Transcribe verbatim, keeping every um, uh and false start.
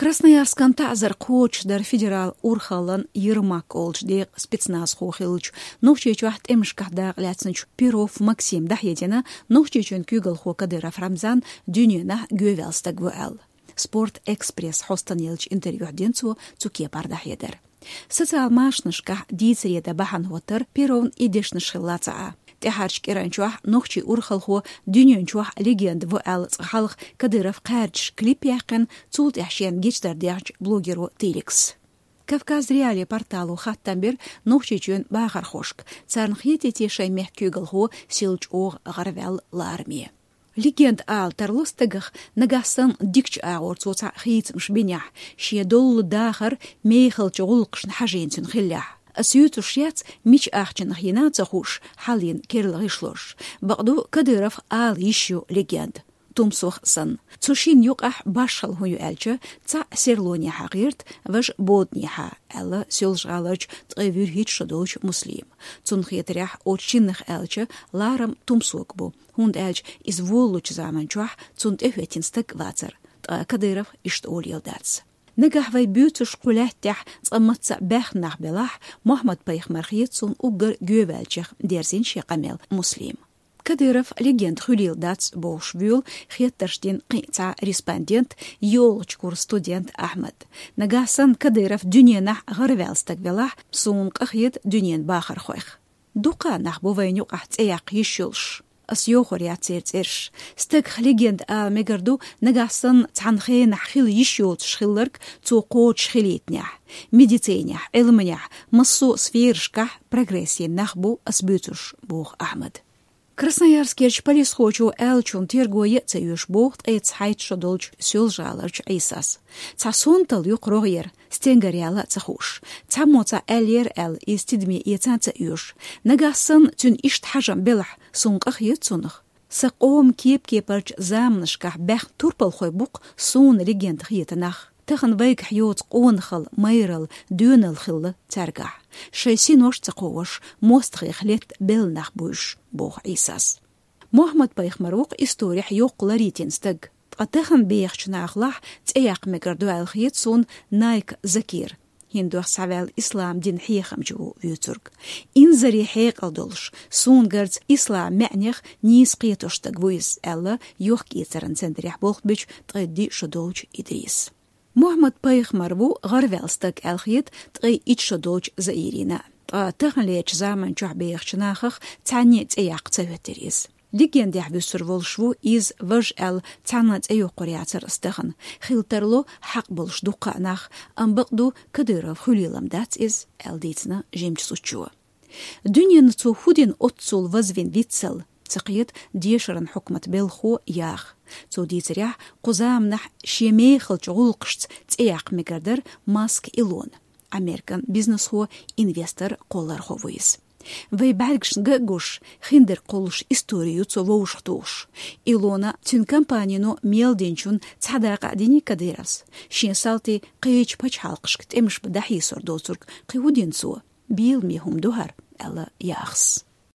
Красноярскан таӀзар кхочушдар федерал урхаллан «Ермак» олучу декъан спецназхо хиллачу, Нохчийчохь тӀемашкахь дакъалаьцначу Перов Максима дӀахьедина, Нохчийчоьнан куьйгалхо Кадыров Рамзан дуьненахь гӀарваьлла стаг ву аьлла. «Спорт Экспресс» хьостана еллачу интервьюхь дина цо цу кепара дӀахьедар. Социал машанашкахь дийцаре дан бахьана хӀоттар Перовн и дешнаш хилла ца Ӏа. ТӀаьхьарчу кӀиранчохь нохчийн урхалхо дуьнен чохь легенда ву аьлла цкъа хьалха Кадыров кхаьрдаш клип яьккхина, цул тӀаьхьа шена гечдар даьхначу блогеро Тиликс. «Кавказ.Реалии» портало хаттам бира Нохчийчоьнан бахархошка, царна хетий те шайн мехкан куьйгалхо сел чӀогӀа гӀарваьлла лараме. Легенда ала тарло стагах, нагахь санна дикачу агӀор цо цхьа хийцамаш бинехь, шен доллу дахар мехалчу гӀуллакхашна хьажийна цуьнан хиллехь. Ас юьйцуш яц, мича ахчанах йина а ца хууш, хьалийна керла гӀишлош. Бакъду, Кадыров ала йиш ю легенда, тумсох санна. Цу шинна юкъахь башхалла хӀун ю аьлча, цхьаъ серлонехьа гӀерта, важа бодинехьа, аьлла Соьлжа-ГӀаларчу ткъе вуьрхӀитта шо долчу Муслима. Цунна хетарехь, оцу шиннах аьлча, ларам тумсог бу, хӀунда аьлча иза волалучу заман чохь цунна тӀехӀоьттина стаг вацара, ткъа Кадыров иштта олийла дац. Нагахь вай буьйцуш кху лаьттахь цкъа мацца баьхна нах белахь, Мухьаммад-пайхамар хета суна уггар гӀарваьллачех, дерзийна шен къамел Муслима. Кадыров легенда хуьлийла дац бохуш, вуьйла хеттарш дина кхин а цхьа респондент, йолчу курсан студент Ахьмад. Нагахь санна Кадыров дуьненахь гӀарваьлла стаг велахь, суна къахета дуьненан бахархойх. Дукха нах бу вайна юкъахь цӀе яккха йиш йолуш. Ас йохор яц церан цӀераш. Стагах легенда ала мегар ду, нагахь санна цхьана хенахь хила йиш йоцуш хилларг цо кхочуш хилийтинехь. Медицинехь, Ӏилманехь, массо а сферашкахь прогресс йина нах бу ас буьйцуш, боху Ахьмада. Красноярскерчу полисхочо аьллачунна терго ян а ца оьшу боху ткъе цхьайтта шо долчу Соьлжа-ГӀаларчу Ӏийсас. Цхьа сонталла ю кху рогӀера, стенгара яьлла а ца хууш. Цхьаммо цхьаъ аьллера аьлла, иза тидаме эца а ца оьшу. Нагахь санна цуьнан иштта хьажам белахь, суна къахета цунах. Сан къоман кеп-кепарчу заманашкахь баьхна турпалхой бу-кх суна легенда хета нах. Тахана вайгахь йоцу къонахалла, майралла, доьналла хилла цаьргахь. Шайн синош а ца кховдош, мостагӀех летта белла нах бу уьш, боху Ӏийсас. Мухьаммад-пайхамар ву-кх историхь йоккха ларъяьлла стаг. Ткъа тахана бехачу нахалахь цӀе яккха мегар ду аьлла хета суна Найк Закир. ХӀинца дуьхьа схьаваьлла ислам динан хьехамча ву вуьйцург. Инзаре хьекъал долуш, суна гарца ислам маьӀнех нийса кхетош стаг ву иза, аьлла йохк-эцаран центрехь болх бечу ткъе диъ шо долчу Идриса. Мухьаммад-пайхамар ву гӀарваьлла стаг аьлла хета ткъе итт шо долчу Заирина. Ткъа таханлерчу заман чохь бехачу нахах цхьанне а цӀе яккха ца хӀоьттира иза. Легендехь вуьсур волуш ву иза, важа аьлла, цхьанна а цӀе йоккхур яцара ас тахана. Хила тарло хьакъ болуш дуккха а нах, амма бакъду, Кадыров хуьлийла-м дац иза, аьлла дийцина жимачу зудчо. Дуьненна цо хӀун дина оццул вазвина виццал, ца кхета дешаран хьукматан белхахо яха. Цо дийцарехь, кху заманахь шен мехалчу гӀуллакхашца цӀе яккха мегар дара Маск Илона, Американ бизнесхо, инвестор, кхоллархо ву иза. Вай бӀаьргашна ган а гуш, хиндерг кхуллуш истори ю цо вовшахтухуш. Илона, цуьнан компанино мел динчунна цхьа дакъа а диний Кадыровс, шен салтий кхечу пачхьалкхашка тӀемаш бан дӀахьийсор доцург кхин хӀун дина цо? Бийламе хӀума ду хӀара, аьлла яхас.